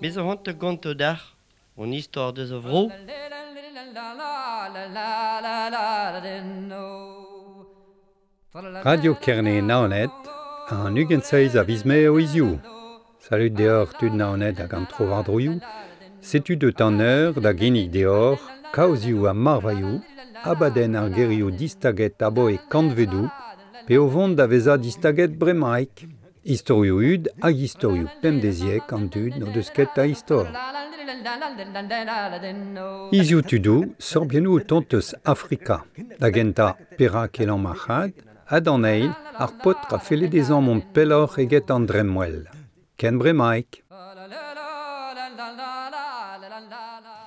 Me zo c'hoant da gontañ deoc'h hon istor deus a vro. Radio Kerne Naoned, an 27 a viz Mae o hiziv. Salud deoc'h tud Naoned hag an tro-war-droioù. Setu deut an eur da ginnig deoc'h kaozioù ha marvailhoù, abadenn ar gerioù distaget aboe kantvedoù, pe o vont da vezañ distaget bremaik. Istorioù hud hag istorioù pemdeziek an dud n'o deus ket a istor. Hiziv tudoù, sorbiennoù o tont eus Afrika. Da gentañ, perak e lamm ar c'had, ha d'an eil, ar paotr a felle dezhañ mont pelloc'h eget an dremmwel. Ken bremaik.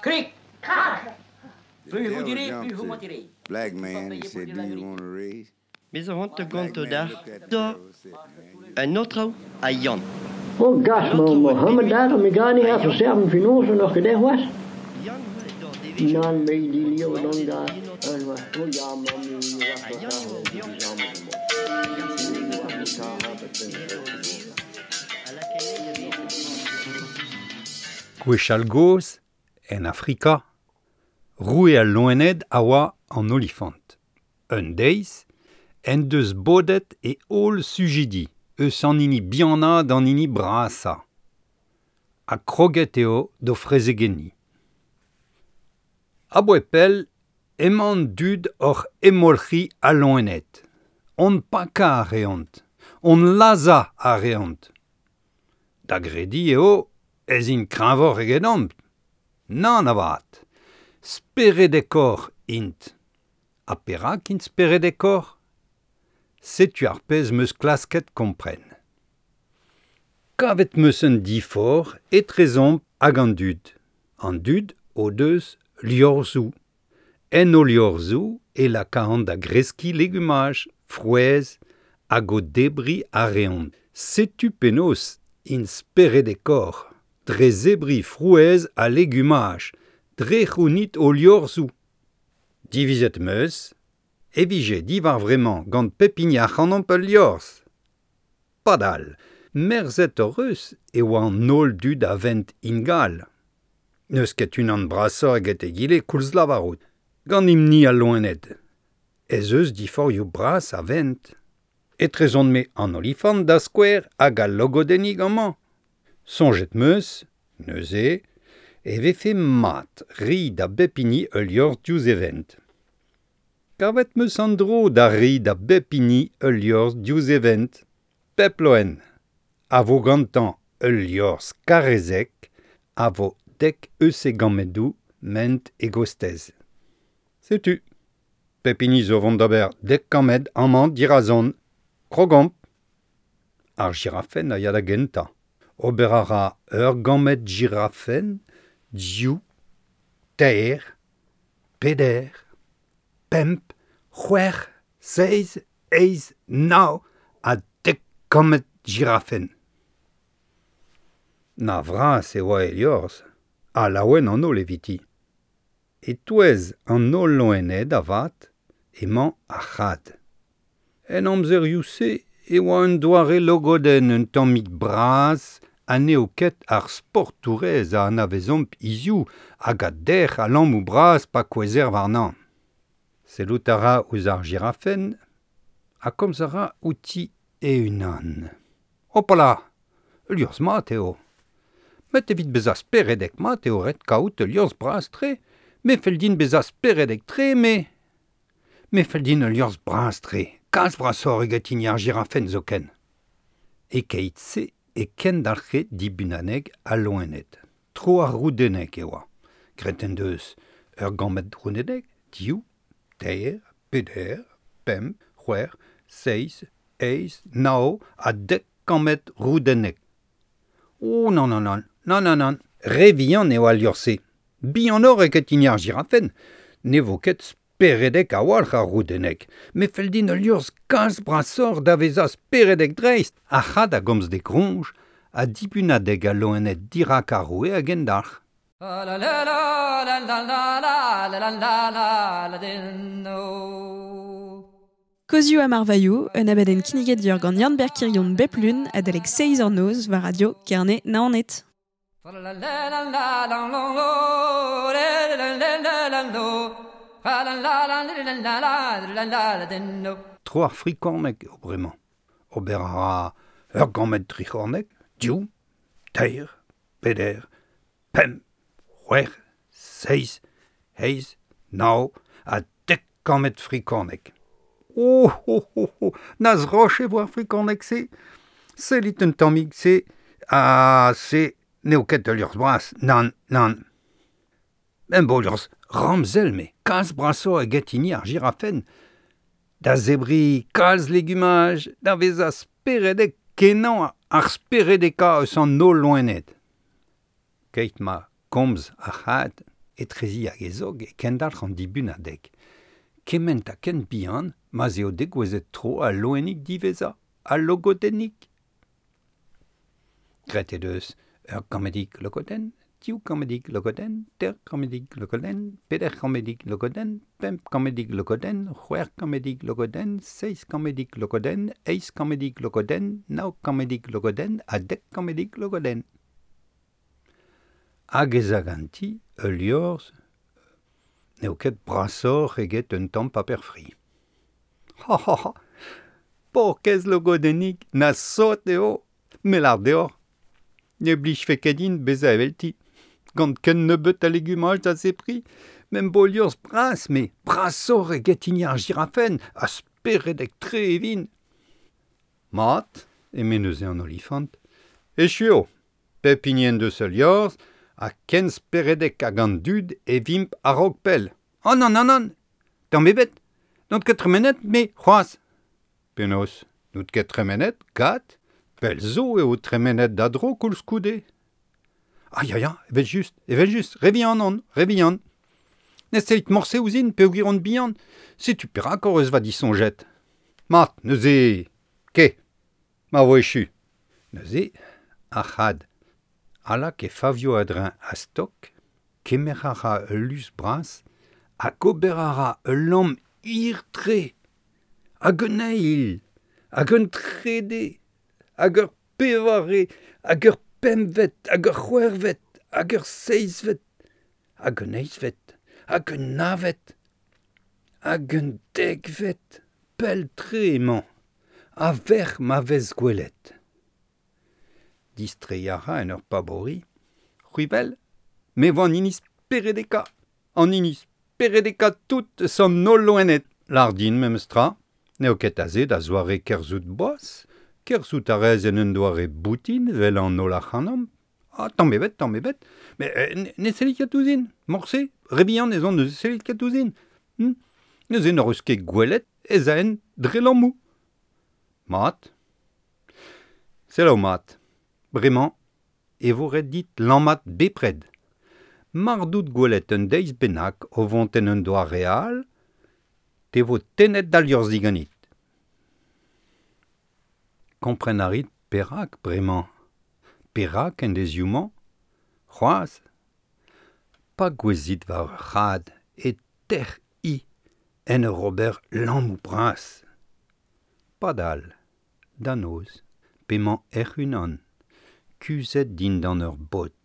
Krik, krak The Plus vous devil direz, plus jumped vous to mentirez. black Vous man and payez pour said, dire Do la you vérité. want a raise? Me zo c'hoant da Black gontañ man deoc'h looked at the da devil and said, Man, you un aotrou ha Yann. Oh gas, An ma aotrou oa Mohammed bet daar, me ga ha niet even Yann. serven finozen nog gedaan was. Yann oa d'ar devezhioù Nan me die oa leeuw dan dibarzhet daar. en aotrou. En was, oh ja, man, nu was Ha dat Yann daar, oa die o samen Yann Nu gant was an het daar, het e ben oa a lakae da vezañ. Gwechall gozh, en Afrika, roue al loened a oa an olifant. Un deiz, en deus bodet e holl sujidi, eus an hini bihanañ d'an hini brasañ. Ha kroget eo d'o frezegenniñ. Aboe pell, emañ an dud oc'h hemolc'hiñ al loened. Hon pakañ a reont, hon lazhañ a reont. Da grediñ eo ez int kreñvoc'h egedomp. Nann avat, speredekoc'h int. Ha perak int speredekoc'h? Setu ar pezh 'm eus klasket kompren. Kavet 'm eus un diforc'h etrezomp hag an dud. An dud o deus liorzhoù. En o liorzhoù e lakaont da greskiñ legumaj, frouezh hag o debriñ a reont. Setu penaos int speredekoc'h, dre zebriñ frouezh ha legumaj, dre c'hounit o liorzhoù. Divizet 'm eus e vije diwar vremañ gant pep hini ac'hanomp ul liorzh. Padal, merzet hoc'h eus e oa an holl dud a vent ingal. N'eus ket unan brasoc'h eget egile koulz lavarout, ganimp-ni al loened. Ez eus diforc'hioù bras a vent. Etrezon-me an olifant da skouer hag al logodennig amañ. Soñjet 'm eus, neuze, e vefe mat reiñ da bep hini ul liorzh diouzh e vent. Kavet 'm eus an dro da reiñ da bep hini ul liorzh diouzh e vent. Pep loen a vo gantañ ul liorzh karrezek a vo dek eus e gammedoù ment e gostez. Setu. Pep hini zo vont d'ober dek kammed amañ dirazon. Krogomp. Ar jirafenn a ya da gentañ. Ober a ra ur gammed jirafenn, div, teir, peder, pemp, c'hwec'h, seizh, eizh, nav ha dek kammed jirafenn. Na vras e oa e liorzh, ha laouen an holl eviti. E-touez an holl loened avat emañ ar c'had. En amzerioù-se e oa un doare logodenn un tammig bras ha n'eo ket ar sportourez a anavezomp hiziv hag a derc'h a lammoù bras pa kouezher warnañ. Sellout a ra ouzh ar jirafenn ha komz a ra outi e-unan. Hopala, ul liorzh mat eo. Met evit bezañ speredek mat eo ret kaout ul liorzh bras-tre. Me fell din bezañ speredek-tre, me. Me fell din ul liorzh bras-tre, kalz brasoc'h eget hini ar jirafenn zoken. E-keit-se e kendalc'he dibunaneg al loened. Tro ar roudennek e oa. Graet en deus ur gammed roudennek, div, teir, peder, pemp, c'hwec'h, seizh, eizh, nav ha dek kammed roudennek. Oh nann nann nann, nann nann nann, re vihan eo al liorzh-se. Bihanoc'h eget hini ar jirafenn. Ne vo ket speredek a-walc'h ar roudennek. Me fell din ul liorzh kalz brasoc'h da vezañ speredek dreist. Ar c'had a gomz d'e groñj ha dibunadeg al loened dirak ar roue hag endalc'h. Kozioù ha marvailhoù, un abadenn kinniget dior gant Yann Berkirion bep lun adalek 6 ur noz war radio Kerne Naoned. Tro ar frikorneg eo bremañ. Ober a ra ur gammed tric'horneg, div, teir, peder, pemp, c'hwec'h, seizh, eizh, nav ha dek kammed frikorneg. Oh, oh, oh, oh, na zroch e vo ar frikorneg-se. Sellit un tammig se, ha se n'eo ket ul liorzh bras, nann, nann. Em bo liorzh ramzel me, kalz brasoc'h eget hini ar jirafenn. Da zebriñ kalz legumaj, da vezañ speredek kenañ ar speredekañ eus an holl loened. Keit ma komz ar c'had, etrezi hag e zog e kendalc'h an dibunadeg. Kement ha ken bihan ma'z eo degouezhet tro al loenig diwezhañ, al logodennig. Graet he deus ur gammedig logodenn, div gammedig logodenn, teir gammedig logodenn, peder gammedig logodenn, pemp gammedig logodenn, c'hwec'h gammedig logodenn, seizh gammedig logodenn, eizh gammedig logodenn, nav gammedig logodenn ha dek gammedig logodenn. Hag ez a ganti ul liorzh n'eo ket brasoc'h eget un tamm paper fri. Ha ha ha, paourkaezh logodennig, na sot eo, me lâr deoc'h. Ne blijfe ket din bezañ evelti. Gant ken nebeut a legumaj da zebriñ, m'em bo liorzh bras, me, brasoc'h eget hini ar jirafenn, ha speredek-tre e vin. Mat, eme neuze an olifant, echu eo. Pep hini en deus ul liorzh, ha ken speredek hag an dud e vimp a-raok pell. Oh nann, nann, nann, tamm ebet, n'on ket tremenet, me, c'hoazh. Penaos, n'out ket tremenet, kat, pell zo eo tremenet da dro koulskoude. Ah ya ya, evel-just, evel-just, re vihan on, re vihan. Ne sellit morse ouzhin peogwir on bihan, setu perak hoc'h eus va disoñjet. Mat, neuze, ke, ma vo echu. Neuze, ar c'had a lak e favioù a-dreñv a-stok, kemer a ra ul lus bras hag ober a ra ul lamm hir-tre, hag un eil, hag un trede, hag ur pevare, hag ur pempvet, hag ur c'hwec'hvet, hag ur seizhvet, hag un eizhvet, hag un navet, hag un dekvet, pell-tre emañ, a-vec'h ma vez gwelet. Distreiñ a ra en ur paboriñ. C'hwi 'wel, me 'vo an hini speredekañ, an hini speredekañ tout eus an holl loened. Lâr din memes tra, n'eo ket aze da zoare kerzhout boas, kerzhout a rez en un doare boutin evel an holl ac'hanomp. Ah, tamm ebet, tamm ebet, met ne sellit ket ouzhin, morse, re bihan ez on ne sellit ket ouzhin. Neuze n'hoc'h eus ket gwelet ez aen dre lammoù. Mat. Selaou mat. Bremañ e vo ret dit lammat bepred. Mar dout gwelet un deiz bennak o vont en un doare all, te vo tennet da liorzh diganit. Kompren a rit perak bremañ? Perak en deizioù-mañ? C'hoazh? Pa gouezhit war ur c'had e tec'h hi en ur ober lammoù bras. Padal, da noz, p'emañ hec'h-unan, kuzhet dindan ur bod,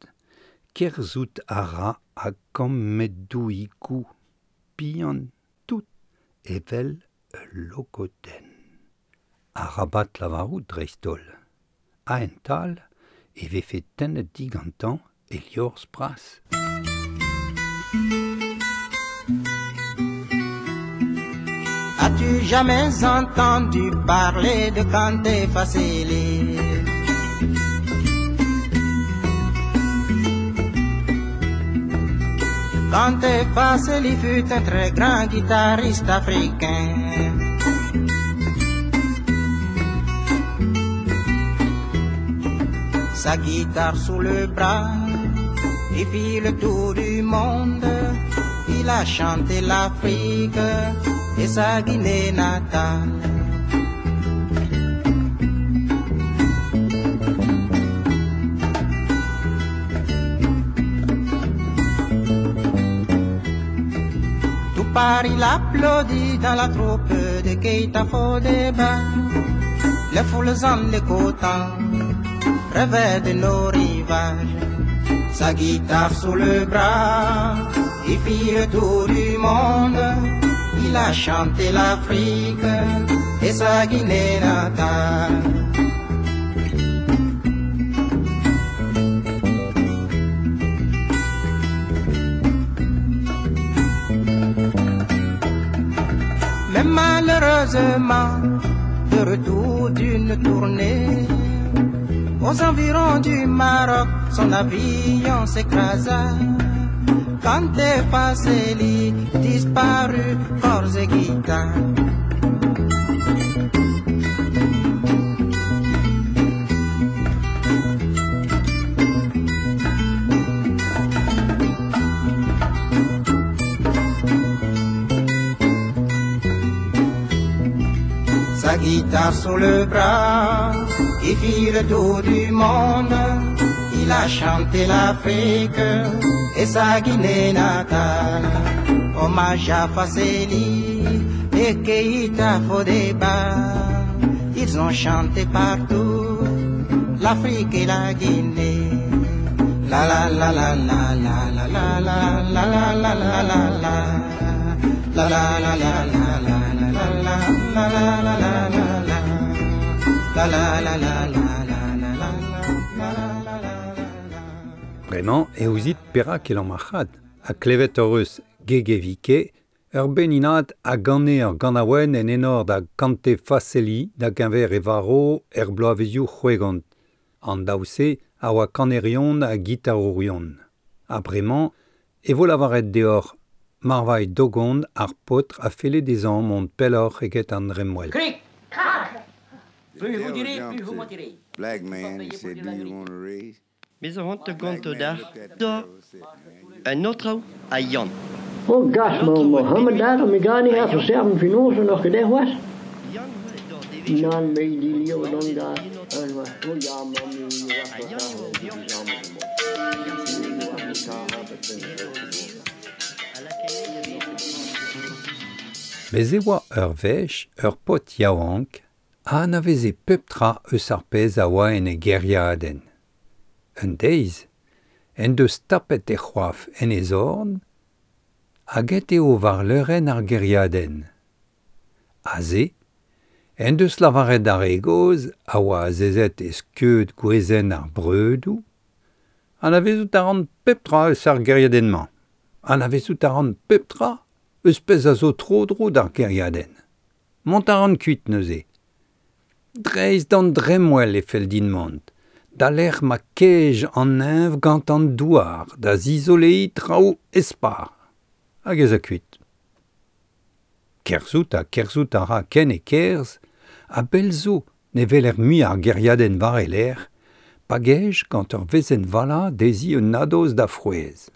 kerzhout a ra a-gammedoùigoù bihan tout evel ul logodenn. Arabat lavarout dreist-holl. A-hent-all e vefe tennet digantañ e liorzh bras. As-tu jamais entendu parler de Kanté Fassili? Kanté Fassili fut un très grand guitariste africain. Sa guitare sous le bras, il fit le tour du monde. Il a chanté l'Afrique et sa Guinée natale. Tout guitare, il applaudit dans la troupe de Keita Fodeba. Les foules en l'écoutant rêvaient de nos rivages. Sa guitare sous le bras, il fit le tour du monde. Il a chanté l'Afrique et sa Guinée natale. Mais malheureusement, de retour d'une tournée, aux environs du Maroc, son avion s'écrasa. Quand est Fasseli disparut, corps et guitare. Sa guitare sous le bras, il fit le tour du monde. Il a chanté l'Afrique et sa Guinée natale. Hommage à Fasseli et Keita Fodeba. Ils ont chanté partout l'Afrique et la Guinée. La la la la la la la la la la la la la la la. La la la la la la la la la la la la la la. La la la la la la la la la la la. Bremañ e ouzit perak el an marc'had, a klevet hor eus gegevike, ur beninad a gane ur ganaouenn en enor da Kante Fasseli da geñver e varo er bloavezioù c'hwegont. An daou-se a oa kanerion ha gitarourion. Ha bremañ e vo lavaret deoc'h marvailh dogont ar paotr a felle dezhañ mont pelloc'h eget an dremmwel. Krik, krak. Plus vous direz, plus vous mentirez. Black man, he said, do you want a raise? Bez a c'hoant ganto d'ar da un autre a Yann. Oh gas, ma Mohammed ar me gani a serven finose noch gedeh was? Nan me di lio non da. Oh ja, ma mi Bez e oa ur wech ur paotr yaouank a anaveze pep tra eus ar pezh a oa en e gêriadenn. Un deiz, en deus tapet e c'hoaf en e zorn, hag et eo war leurenn ar gêriadenn. Aze, en deus lavaret ar re gozh a oa azezet e skeud gwezenn ar breudoù, anavezout a ran pep tra eus ar gêriadenn-mañ. Anavezout a ran pep tra eus pezh a zo tro-dro d'ar gêriadenn. Mont a ran kuit neuze. Dreist d'an dremmwel e fell din mont. Da lec'h ma kej an neñv gant an douar, da zizoleiñ traoù espar. Hag ez a kuit. Kerzhout ha kerzhout a ra ken e kerzh, a bell zo ne weler mui ar gêriadenn war e lerc'h, pa gej gant ur wezenn vala dezhi un nadoz da frouezh.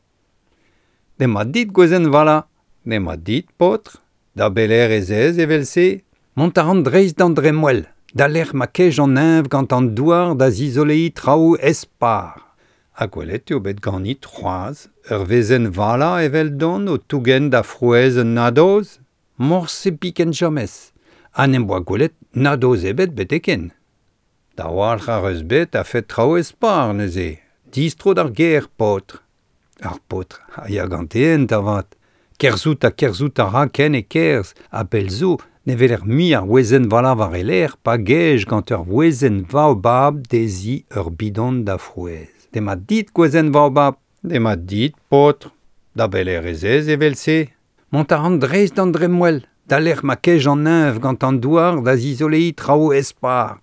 Demat dit gwezenn vala, demat dit paotr, da beler ez ez evel-se, mont a ran dreist d'an dremmwel. Da lec'h ma kej an neñv gant an douar da zizoleiñ traoù espar. Ha gwelet eo bet ganit c'hoazh ur wezenn vala eveldon o tougen da frouezh un nadoz? Morse biken james, ha n'em boa gwelet nadoz ebet beteken. Da walc'h ar eus bet a fet traoù espar neuze, distro d'ar gêr, paotr. Ar paotr a ya gante hent avat. Kerzhout ha kerzhout a ra ken e kerzh, ha pell zo ne weler mui ar wezenn vala war e lerc'h pa gej gant ur wezenn vaobab dezhi ur bidon da frouezh. Demat dit gwezenn vaobab, demat dit paotr, da beler ez ez evel-se. Mont a ran dreist d'an dremmwel, da lec'h ma kej an neñv gant an douar da zizoleiñ traoù espar.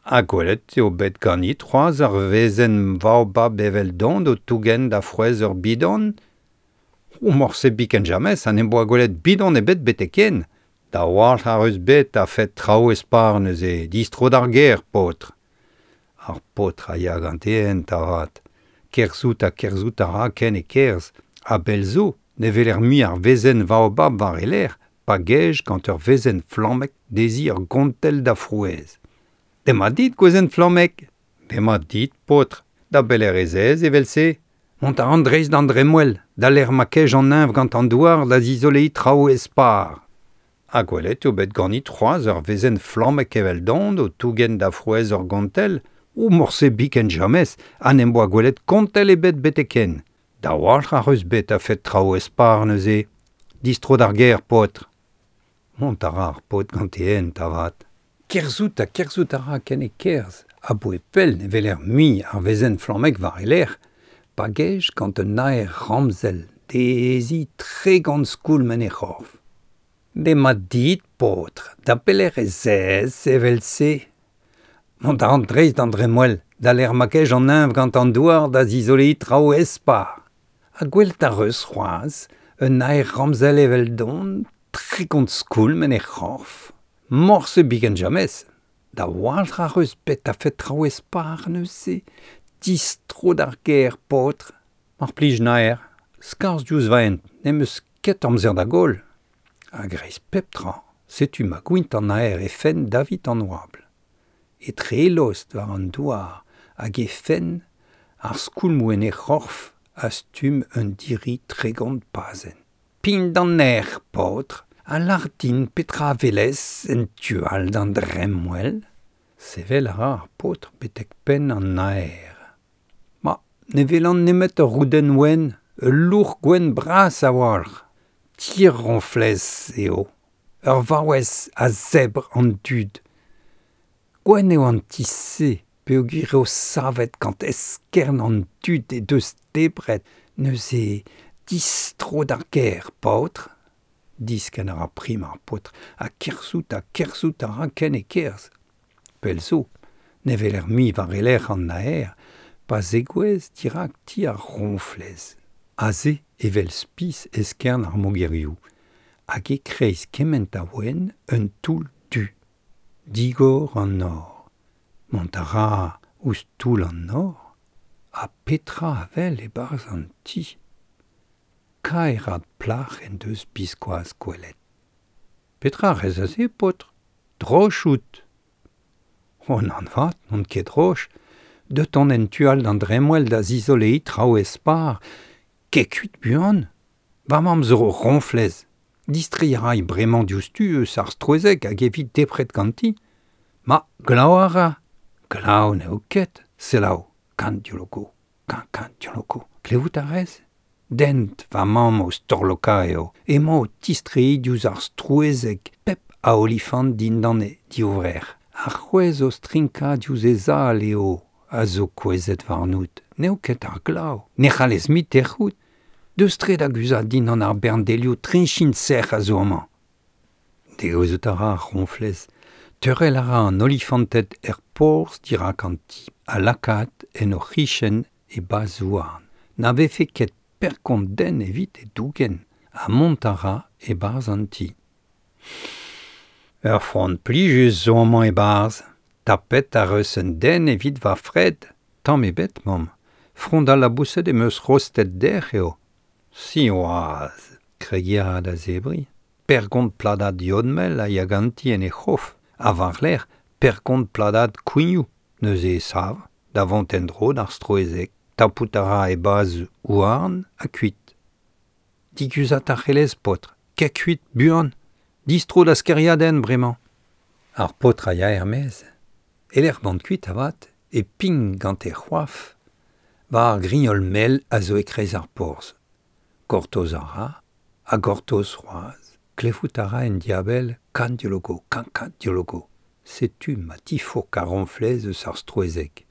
Ha gwelet eo bet ganit c'hoazh ur wezenn vaobab eveldon o tougen da frouezh ur bidon? O morse biken james ha n'em boa gwelet bidon ebet beteken. Da walc'h ar eus bet a fet traoù espar neuze, distro d'ar gêr, paotr. Ar paotr a ya gante hent avat. Kerzhout ha kerzhout a ra ken e kerzh, ha bell zo ne weler mui ar wezenn vaobab war e lerc'h, pa gej gant ur wezenn flammek dezhi ur gontell da frouezh. Demat dit gwezenn flammek. Demat dit, paotr, da beler ez ez evel-se. Mont a ran dreist d'an dremmwel, da lec'h ma kej an neñv gant an douar da zizoleiñ traoù espar. Ha gwelet eo bet ganit c'hoazh ur wezenn flammek eveldon o tougen da frouezh ur gontell, o morse biken james, ha n'em boa gwelet kontell ebet betek-henn. Da walc'h ac'h eus bet a-fet traoù espar neuze. Distro d'ar gêr, paotr. Mont a ra ar paotr gant e hent avat. Kerzhout ha kerzhout a ra ken e kerzh, aboe pell ne weler mui ar wezenn flammek war e lerc'h, pa gej gant un naer ramzel, dezhi 30 skoulm en he c'horf. Demat dit, paotr, da pelec'h ez ez evel-se? Mont a ran dreist d'an dremmwel, da lec'h ma kej an neñv gant an douar da zizoleiñ traoù espar. Ha gwelet ac'h eus c'hoazh un naer ramzel eveldon, 30 skoulm en he c'horf. Morse biken james. Da walc'h ac'h eus bet a-fet traoù espar neuze. Distro d'ar gêr, paotr. Mar plij naer, skarzh diouzh va hent, n'em eus ket amzer da goll. A-greiz pep tra, setu ma gwint an naer he fenn davit an oabl. Etre e lost war an douar hag he fenn, ar skoulmoù en he c'horf a stumm un diri 30 pazenn. Pign d'an nec'h, paotr, ha lâr din petra a welez en tu all d'an dremmwel. Sevel a ra ar paotr betek penn an naer. Ma, ne welan nemet ur roudenn wenn, ul louc'h gwenn bras a-walc'h. Ti ar roñflez eo, ur vaouez a zebr an dud. Gwenn eo an ti-se peogwir eo savet gant eskern an dud he deus debret, neuze distro d'ar gêr, paotr. Diskenn a ra prim ar paotr, ha kerzhout ha kerzhout a ra ken e kerzh. Pell zo, ne weler mui war e lerc'h an naer, pa zegouezh dirak ti ar roñflez. Aze evel spis eskern ar mogerioù, hag e-kreiz kement a wenn un toull du. Digor an nor. Mont a ra ouzh toull an nor, ha petra a wel e-barzh an ti? Kaerat plac'h en deus biskoazh gwelet. Petra a rez aze, paotr? Droch out. O nann 'vat, n'on ket droch. Deut on en tu all d'an dremmwel da zizoleiñ traoù espar. Kae kuit buan. Va mamm zo roñflez. Distreiñ a ray bremañ diouzhtu eus ar strouezheg hag e vi debret ganti. Ma, glav a ra. Glav n'eo ket. Selaou, kan dioloko, kan kan dioloko. Klevout a rez? Dent va mamm o storlokañ eo. Emañ o tistreiñ diouzh ar strouezheg pep a olifant dindan he divrec'h. Ar c'hwezh o strinkañ diouzh he zal eo a zo kouezhet warnout. N'eo ket ar glav. Ne c'hallez mui tec'hout. Deus tre da guzhat dindan ar bern delioù triñchin sec'h a zo amañ. Degouezhout a ra ar roñflez. Teurel a ra an olifanted er porzh dirak an ti ha lakaat en o c'hichen e bazh-houarn. Na vefe ket perkont den evit e dougen ha mont a ra e-barzh an ti. Ur frond plijus zo amañ e-barzh. Tapet ac'h eus un den evit va fred. Tamm ebet, mamm. Frond al laboused em eus rostet dec'h eo. Siwazh! Kregiñ a ra da zebriñ. Pergont pladad yod-mel a ya ganti en he c'hof, ha war-lerc'h pergont pladad kouignoù. Neuze e sav, da vont en-dro d'ar strouezheg. Tapout a ra e bazh houarn ha kuit. Diguzhat a c'hellez, paotr. Kae kuit, buan. Distro d'az kêriadenn bremañ. Ar paotr a ya er-maez. E-lec'h mont kuit avat e pign gant e c'hoaf war ar grignol mell a zo e-kreiz ar porzh. Gortoz a ra, ha gortoz c'hoazh. Klevout a ra en diabell kan diologo, kan kan diologo. Setu ma tifourk ar roñflez eus ar strouezheg.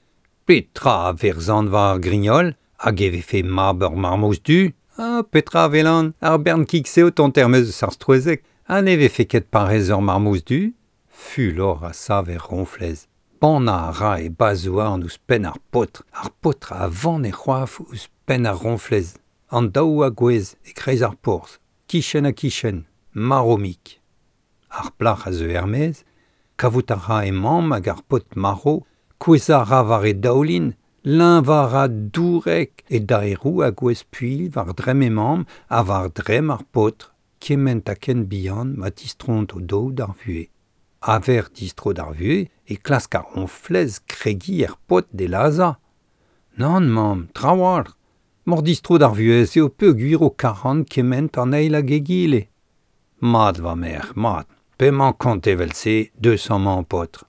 Petra a verzan war ar grignol hag e vefe mab ur marmouz du? Ha petra a welan? Ar bern kig-se o tont er-maez eus ar strouezheg ha ne vefe ket parrez ur marmouz du? Fulor a sav er roñflez. Bannañ a ra e bazh-houarn ouzh penn ar paotr. Ar paotr a vann e c'hoaf ouzh penn ar roñflez. An daou a gouezh e-kreiz ar porzh, kichen-ha-kichen, marv-mik. Ar plac'h a zeu er-maez, kavout a ra he mamm hag ar paotr marv, kouezhañ a ra war e daoulin, leñvañ a ra dourek, e daeroù a gouezh puilh war dremm he mamm ha war dremm ar paotr, kement ha ken bihan ma tistroont o-daou d'ar vuhez. A-vec'h distro d'ar vuhez e klask ar roñflez kregiñ er paotr d'e lazhañ. Nann, mamm, trawalc'h. Mor distro d'ar vuhez eo peogwir o karan kement an eil hag egile. Mat va merc'h, mat, p'emañ kont evel-se, deus amañ paotr.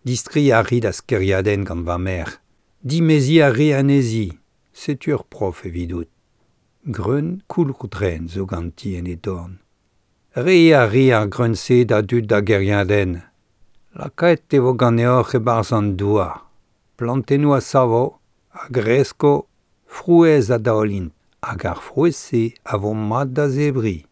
Distri a ri da skeriadenn gant va merc'h. Dimezi a ri anezhi. Setu ur prof evidout. Greun koulourdrenn zo ganti en he dorn. Re a ri ar greun-se da dud da geriadenn. Lakaet e vo ganeoc'h e-barzh an douar. Plantennoù a savo, a gresko, frouezh a daolint, hag ar frouezh-se a vo mat da zebriñ.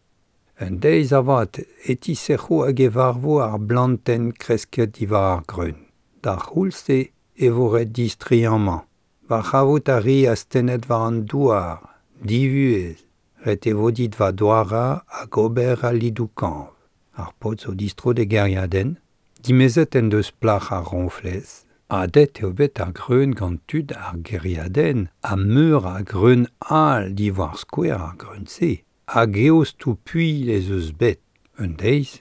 Un deiz avat e tisec'ho hag e varvo ar blantenn kresket diwar ar greun. D'ar c'houlz-se e vo ret distreiñ amañ. Va c'havout a ri astennet war an douar, divuhez. Ret e vo dit va douarañ hag ober al lidoù-kañv. Ar paotr zo distro d'e gêriadenn, dimezet en deus plac'h ar roñflez. Adet eo bet ar greun gant tud ar gêriadenn ha meur a greun all diwar skouer ar greun-se. Hag eostoù puilh ez eus bet. Un deiz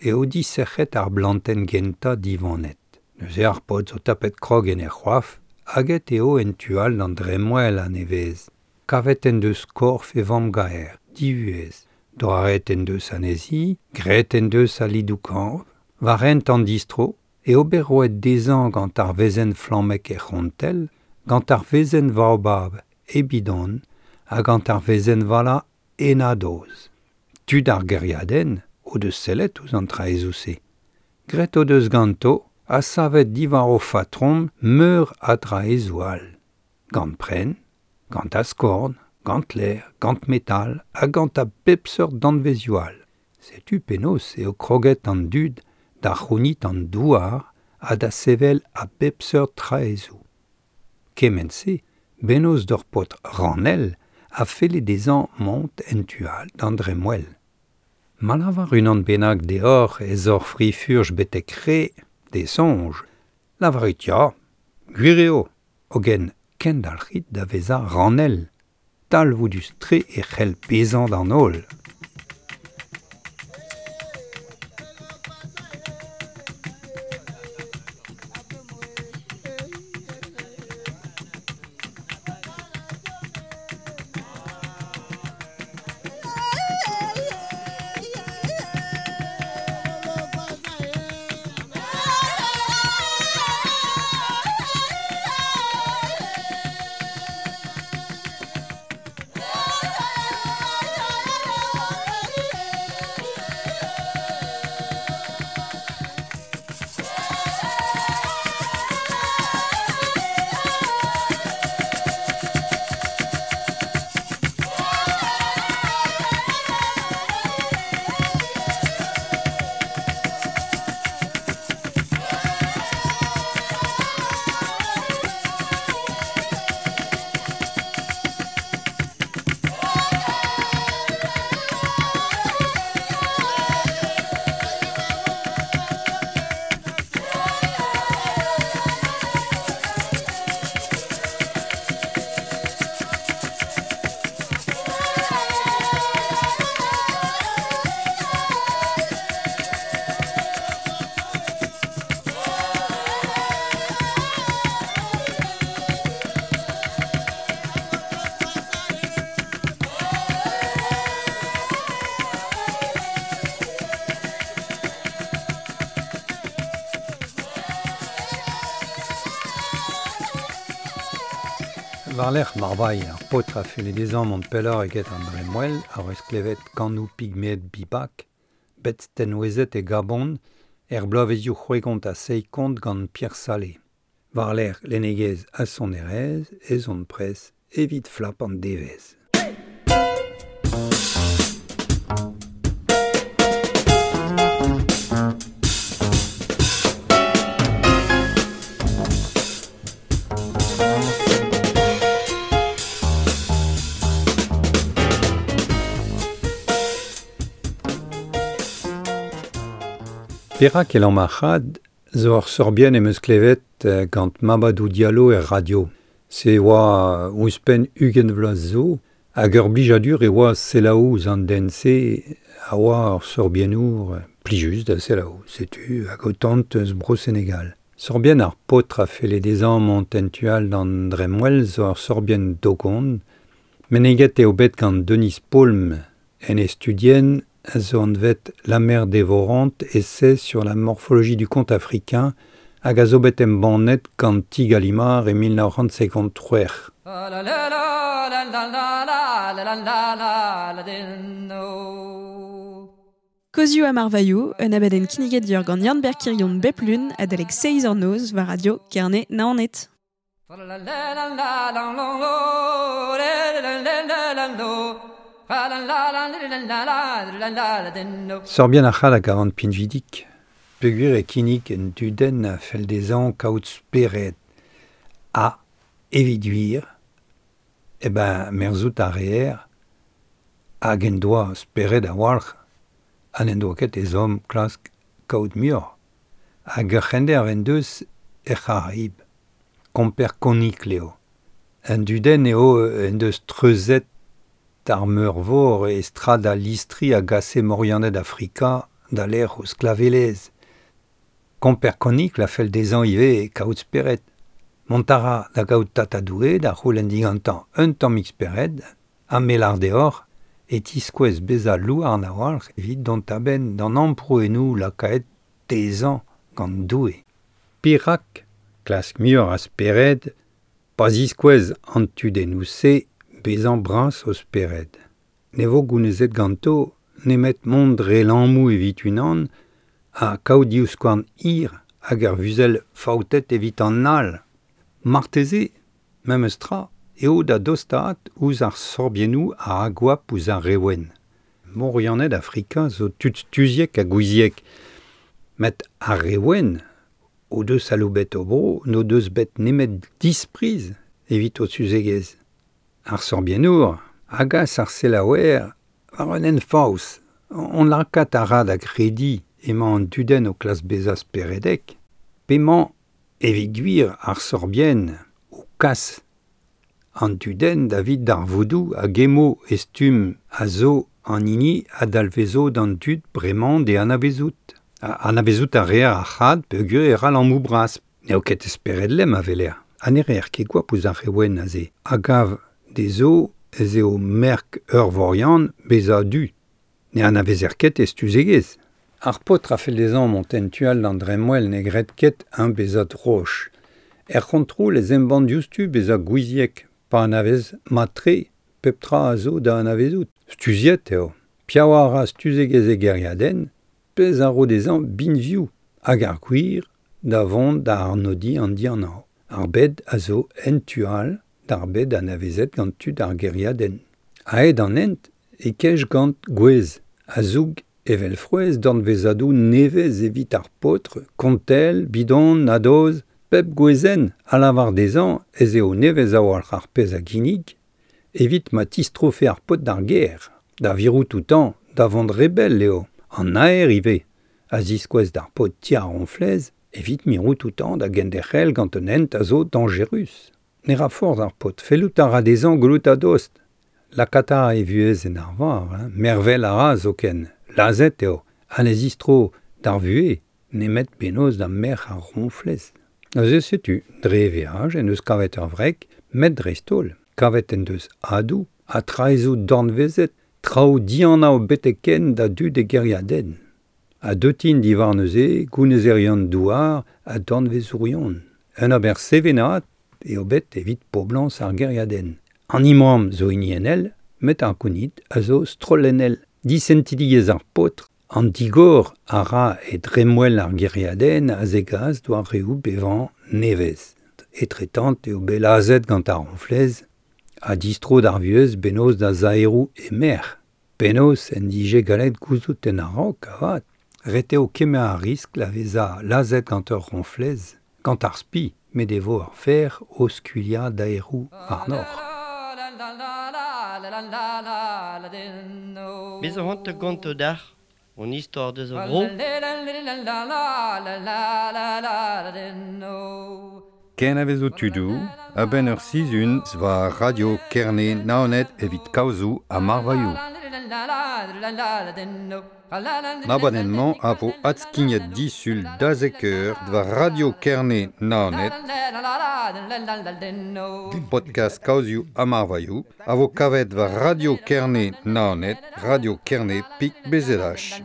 eo disec'het ar blantenn gentañ diwanet. Neuze ar paotr zo tapet krog en e c'hoaf hag eo en tu all d'an dremmwel a-nevez. Kavet en deus korf e vamm-gaer, divuhez. Doaret en deus anezhi, graet en deus al lidoù-kañv, war hent an distro, eo bet roet dezhañ gant ar wezenn flammek er c'hontell, gant ar wezenn vaobab e bidon ha gant ar wezenn vala e nadoz. Tud ar gêriadenn o deus sellet ouzh an traezoù-se. Graet o deus ganto ha savet diwar o fatrom meur a draezoù all. Gant prenn, gant askorn, gant lêr, gant metal ha gant a bep seurt danvezioù all. Setu penaos eo kroget an dud da c'hounit an douar ha da sevel a bep seurt traezoù. Kement-se, bennozh d'ur paotr ranell a felle dezhañ mont en tu all d'an dremmwel. Ma lavar unan bennak deoc'h ez oc'h fri-furch betek re, d'e soñj, lavarit ya, gwir eo, hogen kendalc'hit da vezañ ranell. Talvoudus-tre e c'hell bezañ d'an holl. War-lerc'h marvailh ar paotr a felle dezhañ mont pelloc'h eget an dremmwel a eus klevet kanoù pigmeed bibak, bet stenwezet e Gabon er bloavezioù c'hwegont ha seizh gant Pierre Salé. War-lerc'h lennegezh ha sonerezh ez on prest evit flap an devezh. Perak el marc'had zo ur sorbienn em eus klevet gant Mamadou Diallo er radio. Se oa ouzhpenn 20 vloaz zo, hag ur blijadur e oa selaou ouzh an den-se a oa ur sorbiennour plijus da selaou, setu hag o tant eus Bro-Senegal. Sorbienn ar paotr a felle dezhañ mont en tu all d'an dremmwel zo ur sorbienn dogon, Meneget eo bet gant Denis Paulme en e studien a zo anvet La mer dévorante, essai sur la morphologie du conte africain hag a zo bet embannet gant Ti Gallimard e 1953. Kozioù ha marvailhoù, un abadenn kinniget dior gant Yann-Ber Kirion bep lun adalek 6 ur noz war radio Kerne Naoned. Sorbien ar c'hall hag a an pinvidik, peogwir e kinnig en dudenn a fell dezhañ kaout spered ha evit gwir, e ben merzout ar reer hag en doa spered a-walc'h ha n'en doa ket ezhomm klask kaout muioc'h. Hag ur c'hender en deus er C'haraib, komper konikl eo. Un dudenn eo en deus treuzet ar meurvor e strad a listri a gase morianed Afrika da lec'h o sklavelezh. Komper konikl a fell dezhañ ivez kaout spered. Mont a ra da gaout tatadoue da c'houlenn digantañ un tammig spered, ha melar deoc'h e tiskouez bezañ louarn a-walc'h evit dont a-benn d'an amprouennoù lakaet dezhañ gant Doue. Perak klask muioc'h a spered pa ziskouez an tudennoù-se bezañ bras o spered. Ne vo gounezet ganto nemet mont dre lammoù evit unan ha kaout divskouarn hir hag ar vuzell faoutet evit an all. Marteze, memes tra, eo da dostaat ouzh ar sorbiennoù a agoap ouzh ar rewenn. Morianed Afrika zo tud stuziek ha gouiziek. Met ar rewenn o deus aloubet o bro n'o deus bet nemet dispriz evit o suzegezh. Ar sorbiennour a gas ar selaouer war un hent faos. On lakaat a ra da grediñ emañ an dudenn o klask bezañ speredek, p'emañ evit gwir ar sorbienn o kas an dudenn davit darvoudoù hag emo e stumm a zo an hini a dalvezo d'an dud bremañ d'e anavezout. Anavezout a reer ar c'had peogwir e ra lammoù bras. N'eo ket spered lemm a weler. Ha ne reer ket goap ouzh ar rewenn aze. A gav dezho ez eo merk ur vorian bezañ du. Ne anavezer ket e stuzegezh. Ar paotr a fell dezhañ mont en tu all d'an dremmwel ne gred ket eñ bezañ droch. Er c'hontrol ez embann diouzhtu bezañ gouiziek pa anavez mat-tre pep tra a zo da anavezout. Stuziet eo. Piaouañ a ra stuzegezh e gêriadenn, pezh a ro dezhañ binvioù hag ar gwir da vont da arnodiñ an dianav. Ar bed a zo en tu all d'ar bed anavezet gant tud ar gêriadenn. Aet an hent e kej gant gwez a zoug evel frouezh dornvezadoù nevez evit ar paotr, kontell, bidon, nadoz, pep gwezenn a lavar dezhañ ez eo nevez a-walc'h ar pezh a ginnig evit ma tistrofe ar paotr d'ar gêr. Da virout outañ da vont re bell eo. An aer ivez a ziskouez d'ar paotr ti ar ronflez evit mirout outañ da genderc'hel gant un hent a zo dañjerus. Ne ra forzh ar paotr, fellout a ra dezhañ gwelout a-dost. Lakaat a ra e vuhez en arvar, hein, mervel a ra zoken. Lazhet eo, ha ne zistro d'ar vuhez, nemet bennozh da merc'h ar ronflez. Neuze setu, dre e veaj en deus kavet ur wreg, met dreist-holl. Kavet en deus adoù ha traezoù dornvezet, traoù dianav betek-henn da dud e gêriadenn. Ha deut int diwar neuze gounezerion douar ha dornvezourion. Un ober sevenaat eo bet evit poblañs ar gêriadenn. An imram zo hiniennel, met ar gounid a zo strollennel. Disentidigezh ar paotr, an digor a ra e dremmwel ar gêriadenn a zegas doareoù bevañ nevez. Etretant eo bet lazhet gant ar ronflez ha distro d'ar vuhez bennozh da zaeroù e merc'h. Penaos en dije gallet gouzout en a-raok avat. Ret eo kemer ar riskl a vezañ lazhet gant ur ronflez, gant ar spi, met e vo ur fer o skuilhañ daeroù warnoc'h. Bez a c'hoant ganto dac'h, on istor deus a vro. Ken a vezo tudoù, a-benn ur sizhun war Radio Kerne Naoned evit kaozoù ha marvailhoù. An abadenn-mañ a vo adskignet disul da zek eur war Radio Kerne Naoned, podcast Kaozioù ha Marvailhoù, a vo kavet war Radio Kerne Naoned, Radio Kerne Pik BZH.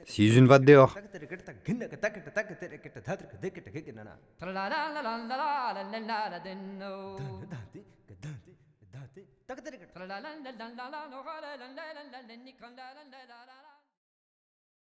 Sizhun vat deoc'h. La la la la la la la la la.